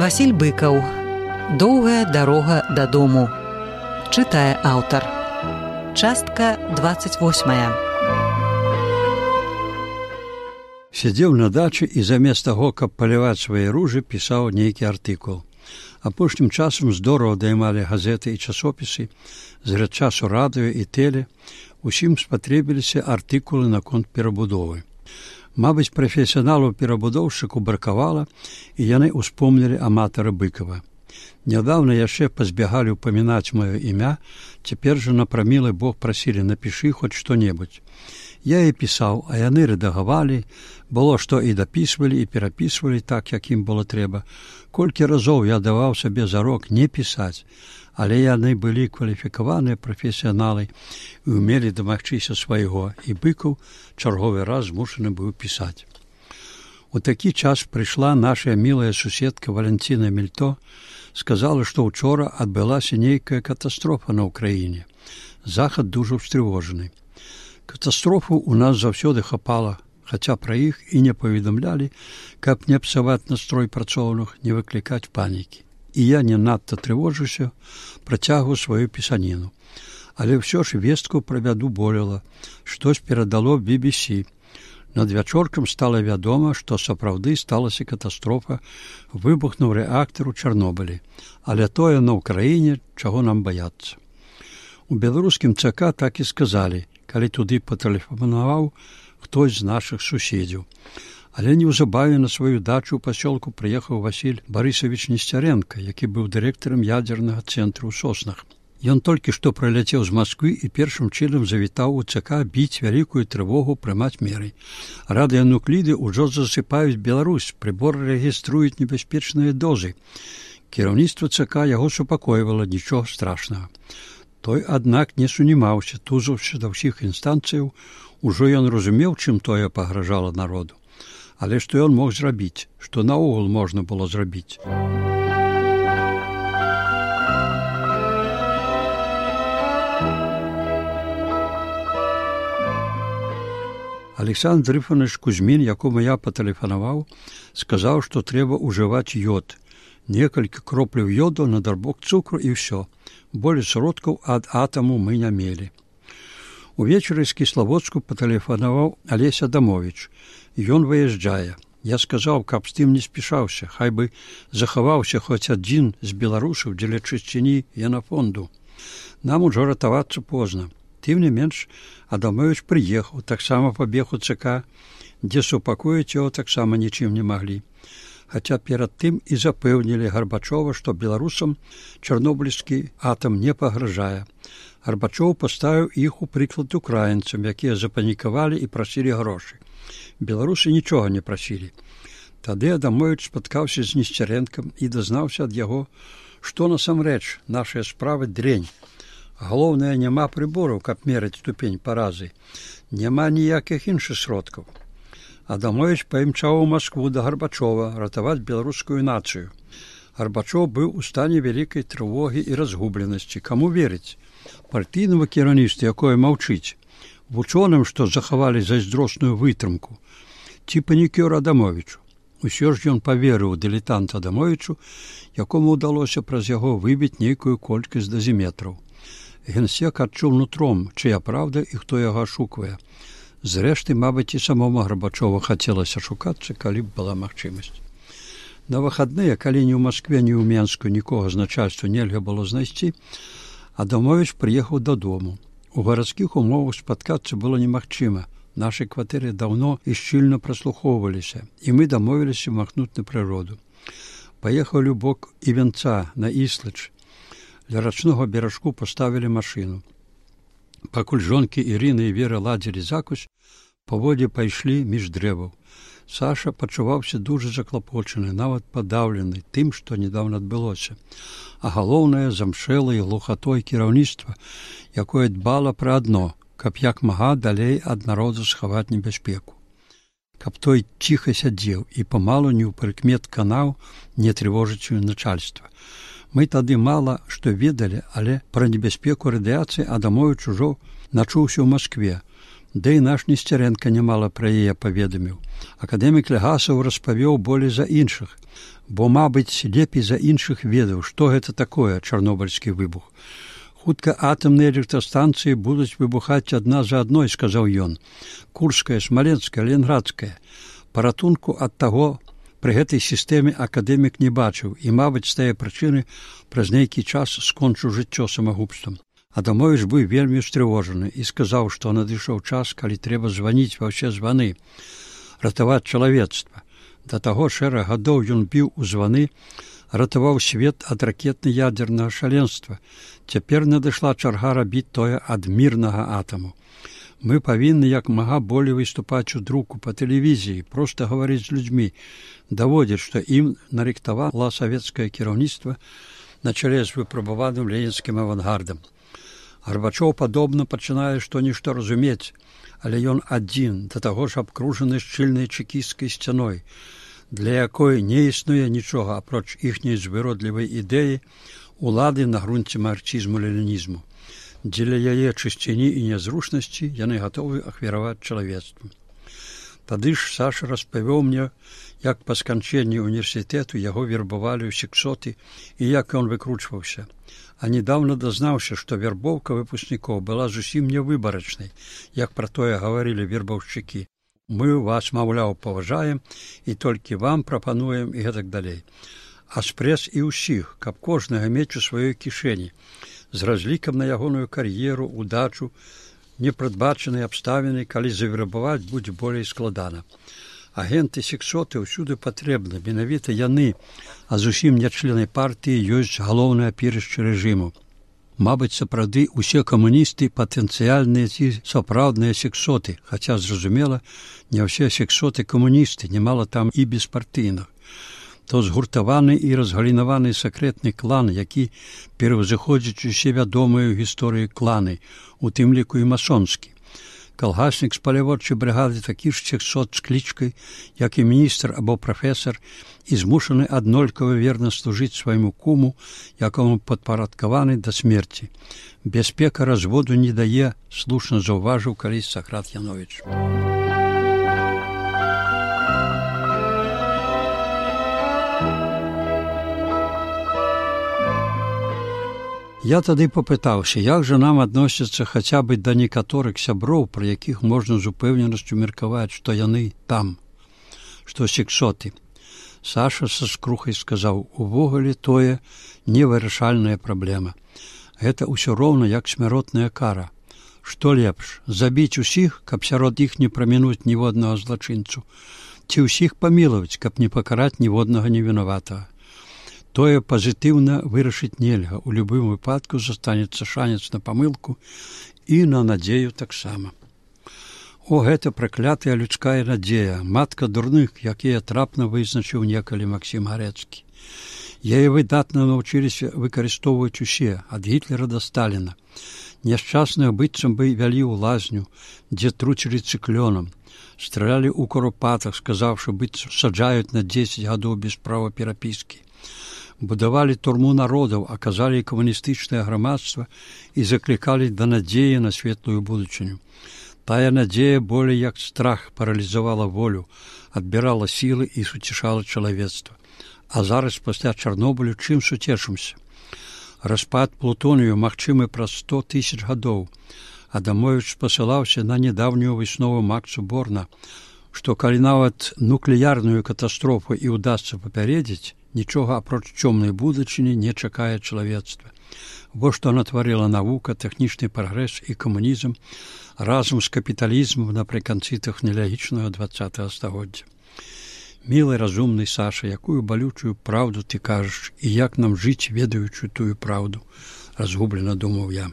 Васіль Быкаў. Доўгая дарога дадому. Чытае аўтар. Частка 28. Сядзеў на дачы і замест таго, каб паліваць свае ружы, пісаў нейкі артыкул. Апошнім часам здорава даймалі газеты і часопісы, з часу радыё і тэле, усім спатрэбіліся артыкулы наконт перабудовы. Мабыць, прафесіяналаў-перабудоўшчыку бракавала, і яны ўспомнілі аматара Быкава. Нядаўна яшчэ пазбягалі ўпамінаць маё імя, цяпер жа на прамілы Бог прасілі: напішы хоць што-небудзь. Я і пісаў, а яны рэдагавалі, было што і дапісвалі, і перапісвалі так, як ім было трэба. Колькі разоў я даваў сабе зарок не пісаць, але яны былі кваліфікаваныя прафесіяналы і ўмелі дамагчыся свайго, і Быкаў чарговы раз змушаны быў пісаць. У такі час прыйшла наша мілая суседка Валянціна Мільто, сказала, што ўчора адбылася нейкая катастрофа на ўкраіне. Захад дужа ўстрывожаны. Катастрофу ў нас заўсёды хапала, хаця пра іх і не паведамлялі, каб не псаваць настрой працоўных, не выклікаць панікі. І я не надта трывожуся, працягваю сваю пісаніну. Але ўсё ж вестку пра бяду болела, штось перадало BBC. Надвячоркам стала вядома, што сапраўды сталася катастрофа, выбухнуў рэактар у Чарнобылі. Але тое на ўкраіне, чаго нам баяцца. У беларускім ЦК так і сказалі, калі туды патэлефанаваў хтось з нашых суседзяў. Але неўзабаве на сваю дачу ў пасёлку прыехаў Васіль Барысавіч Несцярэнка, які быў дырэктарам ядзернага цэнтру ў Соснах. Ён толькі што прыляцеў з Масквы і першым чынам завітаў у ЦК біць вялікую трывогу, прымаць меры. Радыянукліды ўжо засыпаюць Беларусь, прыборы рэгіструюць небяспечныя дозы. Кіраўніцтва ЦК яго супакойвала, нічога страшнага. Той, аднак, не сунімаўся, тузаўся да ўсіх інстанцыяў, ужо ён разумеў, чым тое пагражала народу. Але што ён мог зрабіць, што наогул можна было зрабіць. Александр Ифанович Кузьмін, якому я патэлефанаваў, сказаў, што трэба ўжываць ёд. Некалькі кропляў ёду на дарбок цукру і ўсё. Болей сродкаў ад атаму мы не мелі. Увечары з Кіславодску патэлефанаваў Алесь Адамовіч. Ён выязджае. Я сказаў, каб з тым не спішаўся, хай бы захаваўся хоць адзін з беларусаў дзеля чысціні генафонду. Нам ужо ратавацца позна. Тым не менш, Адамовіч прыехаў, таксама пабег у ЦК, дзе супакоіць яго таксама нічым не маглі. Хаця перад тым і запэўнілі Гарбачова, што беларусам чарнобыльскі атам не пагражае. Гарбачоў паставіў іх у прыклад украінцам, якія запанікавалі і прасілі грошы. Беларусы нічога не прасілі. Тады Адамовіч спаткаўся з Несцярэнкам і дазнаўся ад яго, што насамрэч нашая справа дрэнь. Галоўнае, няма прыбораў, каб мераць ступень паразы. Няма ніякіх іншых сродкаў. Адамовіч паімчаў у Маскву да Гарбачова ратаваць беларускую нацыю. Гарбачоў быў у стане вялікай трывогі і разгубленасці. Каму верыць? Партыйнаму кіраўніцтву, якое маўчыць? Вучоным, што захавалі зайздросную вытрымку? Ці панікёр Адамовічу? Усё ж ён паверыў дылетант Адамовічу, якому ўдалося праз яго выбіць нейкую колькасць дазіметраў. Генсек адчуў нутром, чыя праўда і хто яго ашуквае. Зрэшты, мабыць, і самому Гарбачова хацелася шукацца, калі б была магчымасць. На выхадныя, калі ні ў Маскве, ні ў Менску нікога з начальства нельга было знайсці, Адамовіч прыехаў дадому. У гарадскіх умовах спаткацца было немагчыма. Нашай кватэры даўно і шчыльна праслухоўваліся, і мы дамовіліся махнуць на прыроду. Паехалі ў бок Івенца, на Іслач. Ля рачнога беражку паставілі машыну. Пакуль жонкі Ірына і Вера ладзілі закусь, паводзе пайшлі між дрэваў. Саша пачуваўся дужа заклапочаны, нават падаўлены тым, што недаўна адбылося. А галоўнае, замшэлай глухатой кіраўніцтва, якое дбала пра адно, каб як мага далей ад народа схаваць небяспеку. Каб той ціха сядзеў і памалу не ў прыкмет канаў не трывожыць начальства. Мы тады мала што ведалі, але пра небяспеку радыяцыі Адамовіч ужо начуўся ў Маскве. Да і наш Несцярэнка нямала пра яе паведаміў. Акадэмік Легасаў распавёў болей за іншых, бо, мабыць, лепей за іншых ведаў, што гэта такое чарнобыльскі выбух. Хутка атамныя электрастанцыі будуць выбухаць адна за адной, сказаў ён. Курская, Смаленская, Ленградская. Паратунку ад таго пры гэтай сістэме акадэмік не бачыў і, мабыць, з тае прычыны праз нейкі час скончыў жыццё самагубствам. Адамовіч быў вельмі устрывожаны і сказаў, што надышоў час, калі трэба званіць ва ўсе званы, ратаваць чалавецтва. Да таго шэраг гадоў ён біў у званы, ратаваў свет ад ракетна-ядзернага шаленства. Цяпер надышла чарга рабіць тое ад мірнага атаму. Мы павінны як мага болей выступаць у друку, па тэлевізіі, проста гаварыць з людзьмі, даводзіць, што ім нарыхтавала савецкае кіраўніцтва на чале з выпрабаваным ленінскім авангардам. Гарбачоў падобна пачынае што-нішто разумець, але ён адзін, да таго ж абкружаны шчыльнай чэкісцкай сцяной, для якой не існуе нічога апроч іхняй звыродлівай ідэі улады на грунце марксізму-ленінізму. Дзеля яе чысціні і нязручнасці яны гатовы ахвяраваць чалавецтву. Тады ж Саша распавёў мне, як па сканчэнні універсітэту яго вербавалі ў сексоты і як ён выкручваўся. А недавно дазнаўся, што вербоўка выпускнікоў была зусім невыбарачнай, як пра тое гаварылі вербаўшчыкі. Мы вас, маўляў, паважаем і толькі вам прапануем і гэтак далей. А спрэс і ўсіх, каб кожнага мець у сваёй кішэні, з разлікам на ягоную кар'еру, удачу, непрадбачаныя абставіны, калі завербаваць будзе болей складана. Агенты сексоты ўсюды патрэбны, менавіта яны, а зусім не члены партыі, ёсць галоўнае апірышча рэжыму. Мабыць, сапраўды усе камуністы патэнцыяльныя ці сапраўдныя сексоты, хаця, зразумела, не ўсе сексоты камуністы, немало там і беспартыйных. То згуртаваны і разгалінаваны сакрэтны клан, які пераўзыходзіць усе вядомыя ў гісторыі кланы, у тым ліку і масонскі. Калгаснік з паляводчай брыгады такі ж сексот з клічкай, як і міністр або прафесар, і змушаны аднолькава верна служыць свайму куму, якому падпарадкаваны да смерці. Бяспека разводу не дае, слушна заўважыў калісь Сакрат Яновіч. Я тады папытаўся, як жа нам адносяцца хаця бы да некаторых сяброў, пра якіх можна з упэўненасцю меркаваць, што яны там, што сексоты. Саша са скрухай сказаў, увогуле тое невырашальная праблема. Гэта ўсё роўна як смяротная кара. Што лепш, забіць усіх, каб сярод іх не прамінуць ніводнага злачынцу, ці ўсіх памілаваць, каб не пакараць ніводнага невінаватага. Тое пазітыўна вырашыць нельга, у любым выпадку застанецца шанец на памылку і на надзею таксама. О, гэта праклятая людская надзея, матка дурных, якія трапна вызначыў некалі Максім Гарэцкі. Яе выдатна навучыліся выкарыстоўваць усе, ад Гітлера да Сталіна. Няшчасных быццам бы вялі ў лазню, дзе труцілі цыклёнам, стралялі ў куропатах, сказаўшы, быццам саджаюць на 10 гадоў без права перапіскі. Будавалі турму народаў, аказалі камуністычнае грамадства і заклікалі да надзеі на светлую будучыню. Тая надзея болей як страх паралізавала волю, адбірала сілы і суцішала чалавецтва. А зараз пасля Чарнобылю чым суцешымся? Распад плутонію магчымы праз 100 000 гадоў. Адамовіч спасылаўся на нядаўнюю выснову Макса Борна, што калі нават нуклеярную катастрофу і ўдасца папярэдзіць, нічога апроч цёмнай будучыні не чакае чалавецтва. Во што натварыла навука, тэхнічны прагрэс і камунізм разам з капіталізмам напрыканцы тэхналагічнага 20-го стагоддзя. Мілы, разумны Саша, якую балючую праўду ты кажаш і як нам жыць, ведаючы тую праўду, разгублена думаў я.